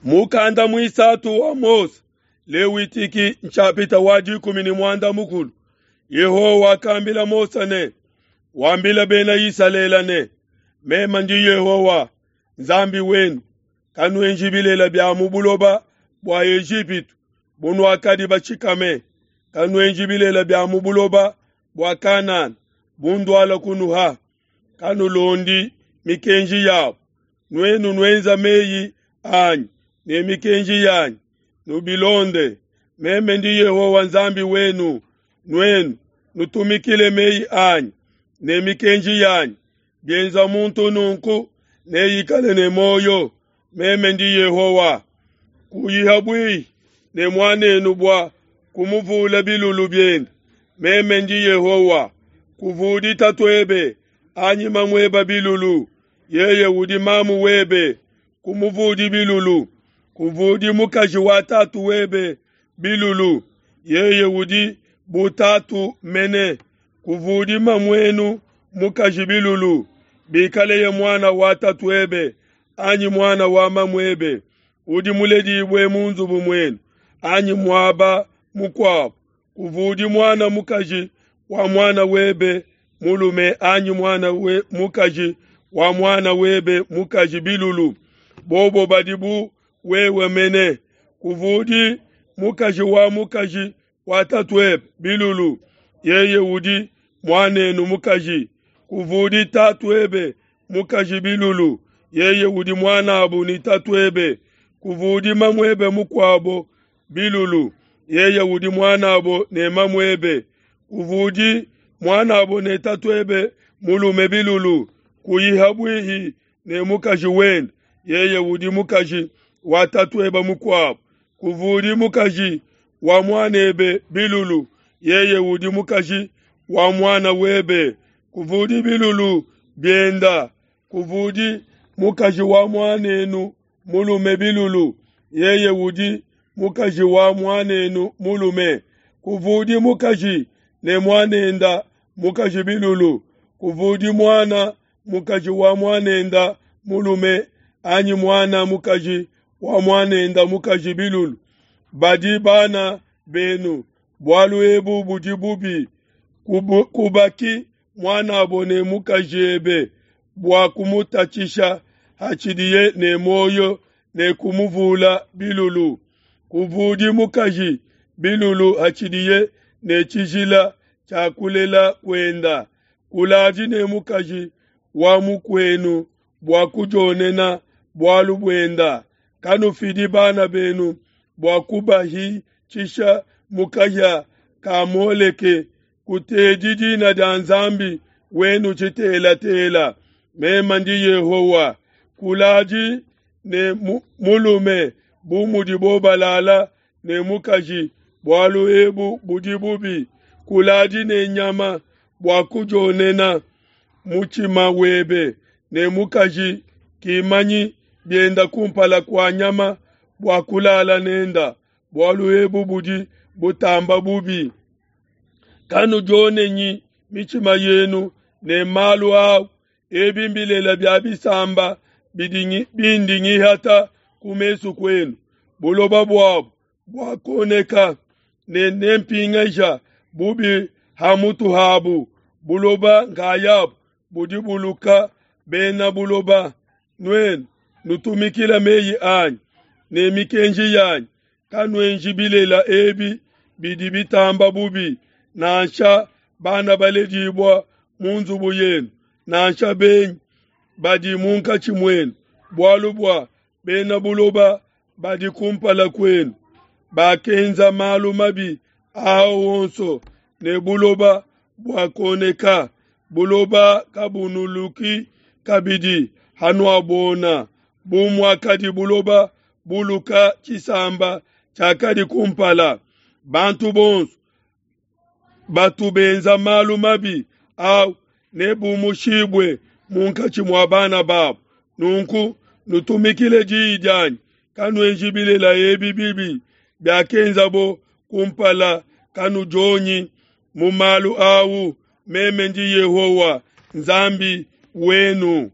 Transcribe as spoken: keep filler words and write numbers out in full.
Mukanda muisatu wa Mose, Lewitiki nshapita wa dikumi ne muanda mukulu. Yehowa wakambila Mose ne, wambila bena Isalele ne, meme ndi Yehowa Nzambi wenu, kanuenji bilela bia mu buloba bua Ejipitu bunuakadi batshikame, kanuenji bilela bia mu buloba bua Kanana bunduala kunuha, kanulondi mikenji yabo. Nuenu nuenza meyi anyi ne mikenji yanyi, nubilonde. Meme ndi Yehowa Nzambi wenu, nuenu nutumikile meyi anyi ne mikenji yanyi. Bienza muntu nunku neikale ne muoyo. Meme ndi Yehowa. Kuyiha bwihi ne muanenu bua kumuvula bilulu biende. Meme ndi Yehowa. Kuvudi tatuebe anyi mamueba bilulu, yeye udi mamu webe. Kumuvudi bilulu. Kuvudi mukaji wa tatu webe bilulu, yeye udi bu tatu mene. Kuvudi mamuenu mukaji bilulu, bikaleye muana wa tatuebe anyi muana wa mamuebe, udi muledibue mu nzubu muenu anyi muaba mukuabo. Kuvudi muana mukaji wa muana webe mulume anyi muana we mukaji wa muana webe mukaji bilulu, bobo badi bu wewe mene. Kuvudi mukaji wa mukaji wa tatuebe bilulu, yeye udi muanenu mukaji. Kuvudi tatuebe mukaji bilulu, yeye udi muanabu ne tatuebe. Kuvudi mamuebe mukuabo bilulu, yeye udi muanabo ne mamuebe. Kuvudi muanabo ne tatuebe mulume bilulu, kuyiha bwihi ne mukaji wende, yeye udi mukaji wa tatuebe mukuabo. Kuvudi mukaji wa muanebe bilulu, yeye udi mukaji wa muana webe. Kuvudi bilulu bienda. Kuvudi mukaji wa muanenu mulume bilulu, yeye udi mukaji wa muanenu mulume. Kuvudi mukaji ne muanenda mukaji bilulu. Kuvudi muana mukaji wa muanenda mulume anyi muana mukaji wa muanenda mukaji bilulu. Badi bana benu, bualu ebu budi bubi. Kubu, kubaki muanabo ne mukaji ebe bua kumutatshisha hatshidiye ne muoyo ne kumuvula bilulu. Kuvudi mukaji bilulu hatshidiye ne tshijila tshia kulela kuenda. Kuladi ne mukaji wa mukuenu bua kudionena bualu buenda. Kanufidi bana benu bua kubahitshisha mu kahia ka Moleke. Kutedi dina dia Nzambi wenu tshitelatela. Meme ndi Yehowa. Kuladi ne mulume bu mudibo balala ne mukaji, bualu ebu budi bubi. Kuladi ne nyama bua kudionena mutshima webe ne mukaji kimanyi bienda kumpala kua nyama bua kulala nenda, bualu ebu budi butamba bubi. Kanudionenyi mitshima yenu ne malu au, ebi mbilela bia bisamba bindi ngihata ku mesu kuenu. Buloba buabu buakoneka ne nempingaja bubi ha mutu habu. Buloba nkayabu budi buluka bena buloba. Nuenu nutumikila meyi anyi ne mikenji yanyi, kanuenji bilela ebi bidi bitamba bubi, nansha bana baledibua mu nzubu yenu, nansha benyi badi munkatshi muenu, bualu bua bena buloba badi kumpala kuenu bakenza malu mabi aa wonso, ne buloba buakoneka. Buloba kabunuluki kabidi hanuabona, bu muakadi buloba buluka tshisamba tshiakadi kumpala. Bantu bonso batu benza malu mabi au nebumushibue munkatshi mua bana babo. Nunku nutumikile diyi dianyi, kanuenji bilela ebi bibi biakenzabo kumpala, kanudionyi mu malu au. Meme ndi Yehowa Nzambi wenu.